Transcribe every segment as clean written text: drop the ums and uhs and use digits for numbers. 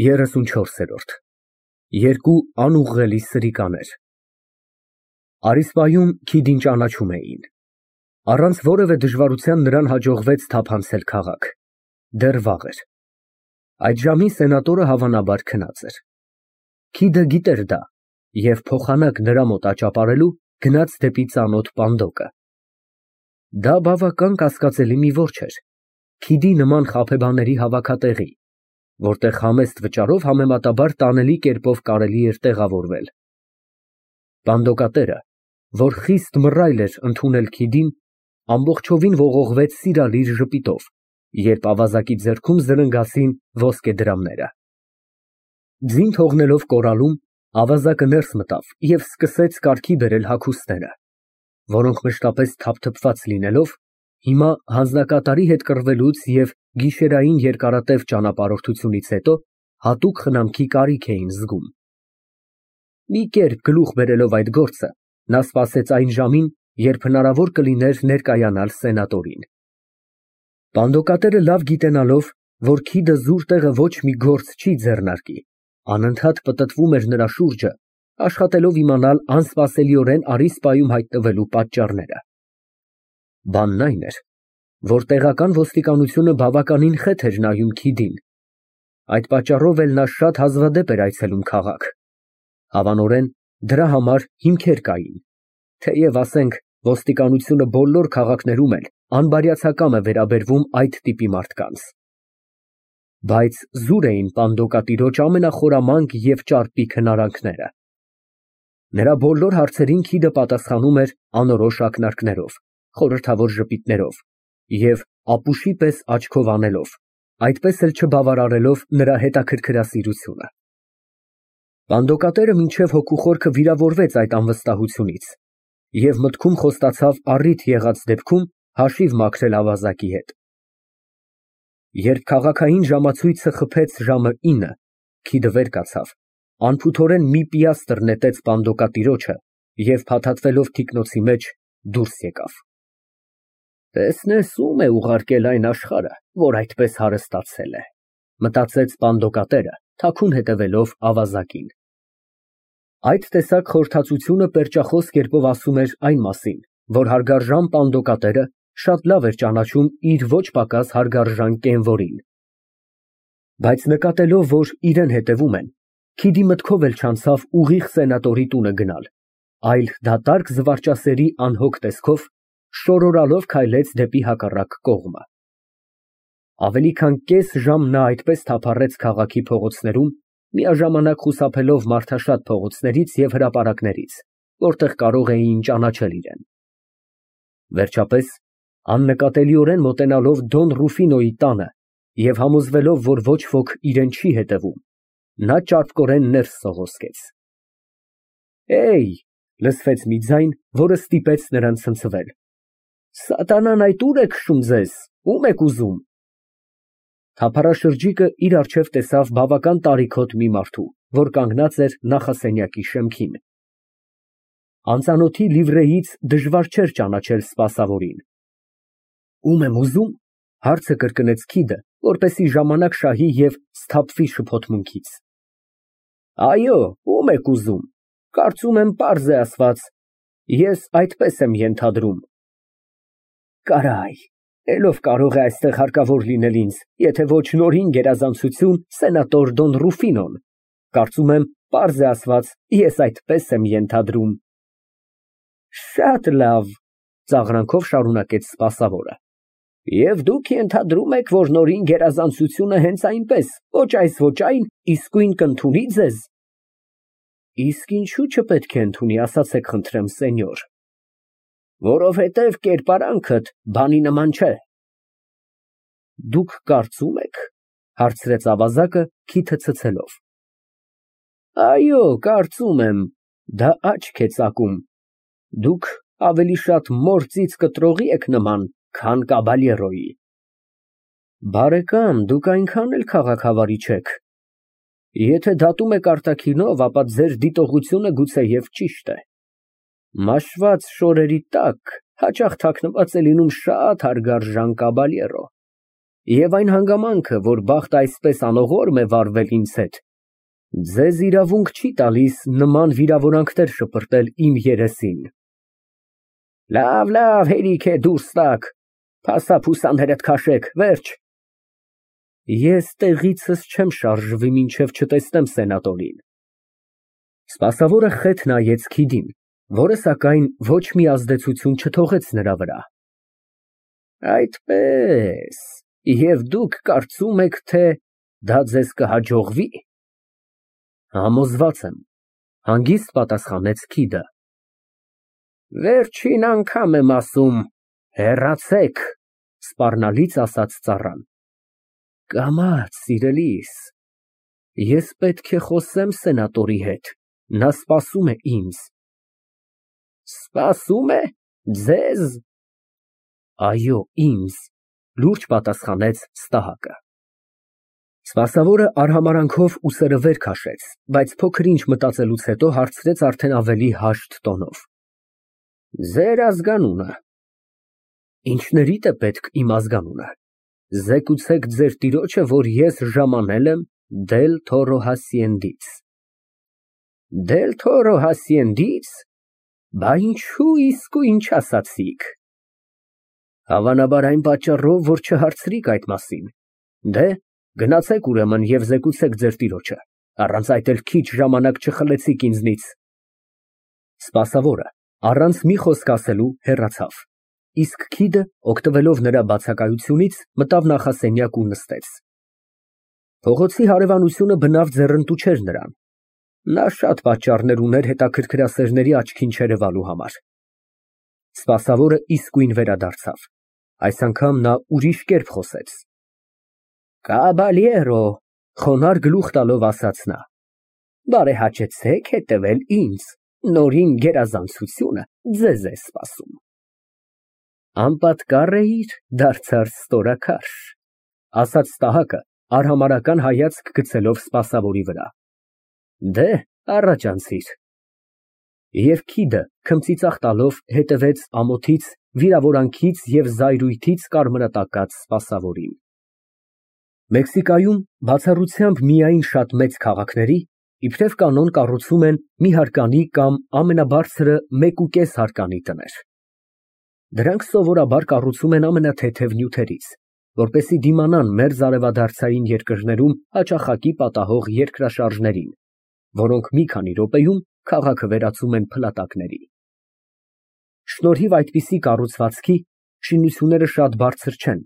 34։ Երկու անուղղելի սրիկաներ։ Արիսպայում Քիդին ճանաչում էին։ Առանց որևէ դժվարության նրան հաջողվեց թափանցել քաղաք։ Դեռ վաղ էր։ Այդ ժամին սենատորը հավանաբար քնած էր։ Քիդը գիտեր դա և փոխանակ նրա մոտ աճապարելու գնաց դեպի ծանոթ Պանդոկը։ Դա բավական կասկածելի մի որջ էր, Քիդի նման խաբեբաների հավաքատեղի, որտեղ համեստ վճարով համեմատաբար տանելի կերպով կարելի էր տեղավորվել։ Պանդոկատերը, որ խիստ մռայլ էր ընդունել Քիդին, ամբողջովին ողողվեց սիրալիր ժպիտով, երբ ավազակի ձեռքում զրնգացին ոսկե դրամները։ Ձին թողնելով կորալում, ավազակը ներս մտավ և սկսեց կարգի բերել հագուստները, որոնք մշտապես թափթփված լինելով, հիմա հանձնակատարի հետ կռվելուց և գիշերային երկարատև ճանապարհորդությունից հետո հատուկ խնամքի կարիք էին զգում։ Մի կերպ գլուխ բերելով այդ գործը, նա սպասեց այն ժամին, երբ հնարավոր կլիներ ներկայանալ սենատորին։ Պանդոկատերը լավ գիտենալով, որ Քիդը զուր տեղը ոչ մի գործ չի ձեռնարկի, անընդհատ պտտվում էր նրա շուրջը, աշխատելով իմանալ անսպասելիորեն Արիսպայում հայտնվելու պատճառները։ Բանն այն էր, որ տեղական ոստիկանությունը բավականին խեթ էր նայում Քիդին, այդ պատճառով էլ նա շատ հազվադեպ էր այցելում քաղաք։ Հավանորեն, դրա համար հիմքեր կային, թեև, ասենք, ոստիկանությունը բոլոր քաղաքներում էլ անբարյացակամ է վերաբերվում այդ տիպի մարդկանց։ Բայց զուր էին Պանդոկատիրոջ ամենախորամանկ և ճարպիկ հնարանքները։ Նրա բոլոր հարցերին Քիդը պատասխանում էր անորոշ ակնարկներով, խորհրդավոր ժպիտներով և ապուշի պես աչքով անելով, այդպես էլ չբավարարելով նրա հետաքրքրասիրությունը։ Պանդոկատերը մինչև հոգու խորքը վիրավորվեց այդ անվստահությունից և մտքում խոստացավ առիթ եղած դեպքում հաշիվ մաքրել ավազակի հետ։ Երբ քաղաքային ժամացույցը խփեց ժամը 9, Քիդը վեր կացավ, անփութորեն մի պիաստր նետեց Պանդոկատիրոջը և փաթաթվելով թիկնոցի մեջ դուրս եկավ։ Տեսնես, ում է ուղարկել այն աշխարհը, որ այդպես հարստացել է, մտածեց Պանդոկատերը, թաքուն հետևելով ավազակին։ Այդ տեսակ խորհրդածությունը պերճախոս կերպով ասում էր այն մասին, որ հարգարժան Պանդոկատերը շատ լավ էր ճանաչում իր ոչ պակաս հարգարժան կենվորին։ Բայց նկատելով, որ իրան հետևում են, Քիդի մտքով էլ չանցավ ուղիղ սենատորի տունը գնալ, այլ դատարկ զվարճասերի անհոգ տեսքով շորորալով քայլեց դեպի հակառակ կողմը։ Ավելի քան կես ժամ նա այդպես թափառեց քաղաքի փողոցներում, միաժամանակ խուսափելով մարդաշատ փողոցներից և հրապարակներից, որտեղ կարող էին ճանաչել իրեն։ Վերջապես, աննկատելիորեն մոտենալով Դոն Ռուֆինոյի տանը և համոզվելով, որ ոչ ոք իրան չի հետևում, նա ճարպկորեն ներս սողոսկեց։ «Հեյ», լսվեց մի ձայն, որը ստիպեց նրան ցնցվել։ «Սատանան այդ ուր է քշում ձեզ, ո՞ւմ եք ուզում»։ Թափառաշրջիկը իր առջև տեսավ բավական տարիքոտ մի մարդու, որ կանգնած էր նախասենյակի շեմքին։ Անծանոթի լիվրեից դժվար չէր ճանաչել սպասավորին։ «Ո՞ւմ եմ ուզում», հարցը կրկնեց Քիդը, որպեսզի ժամանակ շահի և սթափվի շփոթմունքից։ «Այո, ո՞ւմ եք ուզում, կարծում եմ պարզ է ասված, ես այդպես եմ ենթադրում»։ «Կարայ, էլ ով կարող է այստեղ հարկավոր լինել ինձ, եթե ոչ նորին գերազանցություն սենատոր Դոն Ռուֆինոն, կարծում եմ պարզ է ասված, ես այդպես եմ ենթադրում»։ «Շատ լավ», ծաղրանքով շարունակեց սպասավորը, «և դուք ենթադրում եք, որ նորին գերազանցությունը հենց այնպես, ոչ այս ոչ այն, իսկույն կընդունի ձեզ»։ «Իսկ ինչո՞ւ չպետք է ընդունի, ասացեք խնդրեմ, սենյոր»։ «Որովհետև կերպարանքդ բանի նման չէ»։ «Դուք կարծում եք», հարցրեց ավազակը քիթը ցցելով։ «Այո, կարծում եմ, դա աչք է ծակում, դուք ավելի շատ մոր ծիծ կտրողի եք նման, քան կաբալյերոյի»։ «Բարեկամ, դուք այնքան էլ քաղաքավարի չեք։ Եթե դատում եք արտաքինով, ապա ձեր դիտողությունը գուցեև ճիշտ է։ Մաշված շորերի տակ հաճախ թաքնված է լինում շատ հարգարժան կաբալյերո։ Եվ այն հանգամանքը, որ բախտը այսպես անողորմ է վարվել ինձ հետ, ձեզ իրավունք չի տալիս նման վիրավորանքներ շպրտել իմ երեսին։ Լավ, հերիք է, դուրս տաք, փասափուսաներդ քաշեք, վերջ։ Ես տեղիցս չեմ շարժվի, մինչև չտեսնեմ սենատորին։ Սպասավորը խեթ նայեց Քիդին, որը սակայն ոչ մի ազդեցություն չթողեց նրա վրա։ Այդպես, և դուք կարծում եք, թե դա ձեզ կհաջողվի։ Համոզված եմ, հանգիստ պատասխանեց Քիդը։ Վերջին անգամ եմ ասում, հեռացեք, սպառնալից ասաց ծառան։ Կամաց, սիրելիս, ես պետք է խոսեմ սենատորի հետ, նա սպասում է ինձ։ Սպասում է, ձեզ։ Այո, ինձ, լուրջ պատասխանեց Ստահակը։ Սպասավորը արհամարանքով ուսերը վեր քաշեց, բայց փոքր ինչ մտածելուց հետո հարցրեց արդեն ավելի հաշտ տոնով։ Ձեր ազգանունը։ Ինչներիդ է պետք իմ ազգանունը։ Զեկուցեք ձեր տիրոջը, որ ես ժամանել եմ Դել Թորո Հասիենդից։ Դել Թորո Հասիենդից։ Բա ինչու իսկույն չասացիք։ Հավանաբար այն պատճառով, որ չհարցրիք այդ մասին։ Դե, գնացեք ուրեմն և զեկուցեք ձեր տիրոջը, առանց այդ էլ քիչ ժամանակ չխլեցիք ինձնից։ Սպասավորը, առանց մի խոսք ասելու, հեռացավ, իսկ Քիդը, օգտվելով նրա բացակայությունից, մտավ նախասենյակ ու նստեց։ Փողոցի հարևանությունը բնավ ձեռնտու չէր նրան։ Նա շատ պատճառներ ուներ հետաքրքրասերների աչքին չերևալու համար։ Սպասավորը իսկույն վերադարձավ։ Այս անգամ նա ուրիշ կերպ խոսեց։ Կաբալիերո, խոնարհ գլուխ տալով ասաց նա, բարեհաճեցեք հետևել ինձ, նորին գերազանցությունը ձեզ է սպասում։ Անպատկառ էիր, դարձար ստորաքարշ, ասաց Ստահակը, արհամարհական հայացք գցելով սպասավորի վրա։ Դե, առաջ անցիր։ Եվ Քիդը, քմծիծաղ տալով, հետևեց ամոթից, վիրավորանքից և զայրույթից կարմրատակած սպասավորին։ Մեքսիկայում բացառությամբ միայն շատ մեծ քաղաքների, իբրև կանոն կառուցում են մի հարկանի կամ ամենաբարձրը 1.5 հարկանի տներ։ Դրանք սովորաբար կառուցում են ամենաթեթև նյութերից, որպեսզի դիմանան մերձարևադարձային երկրներում հաճախակի պատահող երկրաշարժներին, որոնք մի քանի րոպեում քաղաքը վերածում են փլատակների։ Շնորհիվ այդպիսի կառուցվածքի շինությունները շատ բարձր չեն,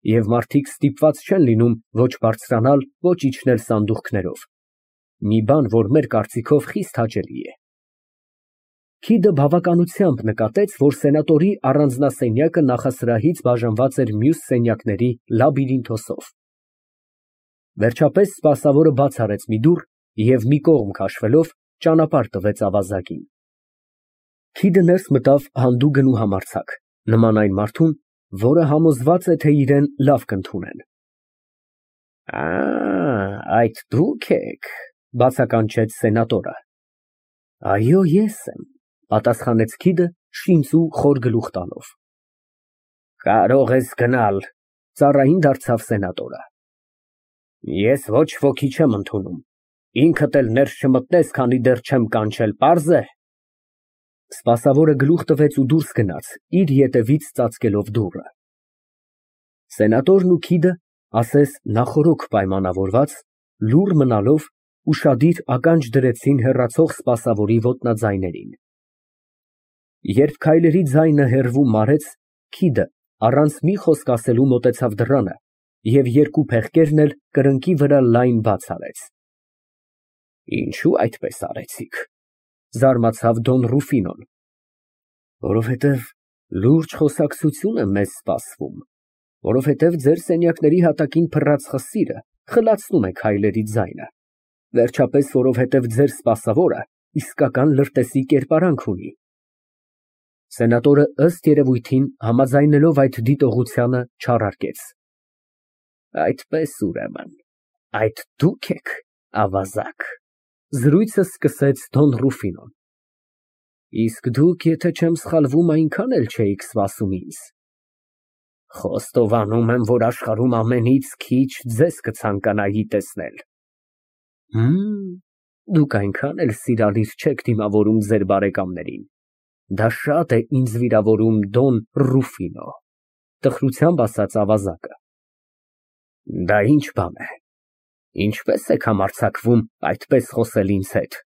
և մարդիկ ստիպված չեն լինում ոչ բարձրանալ, ոչ իջնել սանդուղքներով, մի բան, որ մեր կարծիքով խիստ հաճելի է։ Քիդը բավականությամբ նկատեց, որ սենատորի առանձնասենյակը նախասրահից բաժանված էր մյուս սենյակների լաբիրինթոսով։ Վերջապես սպասավորը բաց արեց մի դուռ և մի կողմ քաշվելով ճանապարհ տվեց ավազակին։ Քիդը ներս մտավ հանդուգն ու համարձակ, նման այն մարդուն, որը համոզված է, թե իրեն լավ կընդունեն։ Այդ դուք եք, բացականչեց սենատորը։ Այո, ես եմ, պատասխանեց Քիդը շինծ ու խոր գլուխ տալով։ Կարող ես գնալ, ծառային դարձավ սենատորը։ Ես ոչ ոքի չեմ ընդունում, ինքդ էլ ներս չմտնես, քանի դեռ չեմ կանչել, պարզ է։ Սպասավորը գլուխ տվեց ու դուրս գնաց, իր ետևից ծածկելով դուռը։ Սենատորն ու Քիդը, ասես նախօրոք պայմանավորված, լուռ մնալով, ուշադիր ականջ դրեցին հեռացող սպասավորի ոտնաձայներին։ Երբ քայլերի ձայնը հեռվում մարեց, Քիդը, առանց մի խոսք ասելու մոտեցավ դռանը և երկու փեղկերն էլ կրնկի վրա լայն բաց արեց։ Ինչո՞ւ այդպես արեցիք, զարմացավ Դոն Ռուֆինոն։ Որովհետև լուրջ խոսակցություն է մեզ սպասվում, որովհետև ձեր սենյակների հատակին փռած խսիրը խլացնում է քայլերի ձայնը, վերջապես որովհետև ձեր սպասավորը իսկական լրտեսի կերպարանք ունի։ Սենատորը ըստ երևույթին համաձայնելով այդ դիտողությանը չարարկեց։ Այդպես ուրեմն, այդ դուք եք, ավազակ, զրույցը սկսեց Դոն Ռուֆինոն։ Իսկ դուք, եթե չեմ սխալվում, այնքան էլ չէիք սպասում ինձ։ Խոստովանում եմ, որ աշխարհում ամենից քիչ ձեզ կցանկանայի տեսնել։ Դուք այնքան էլ սիրալիր չեք դիմավորում ձեր բարեկամներին։ Դա շատ է ինձ վիրավորում Դոն Ռուֆինո, տխրությամբ ասաց ավազակը։ Դա ինչ բան է, ինչպես եք համարձակվում այդպես խոսել ինձ հետ։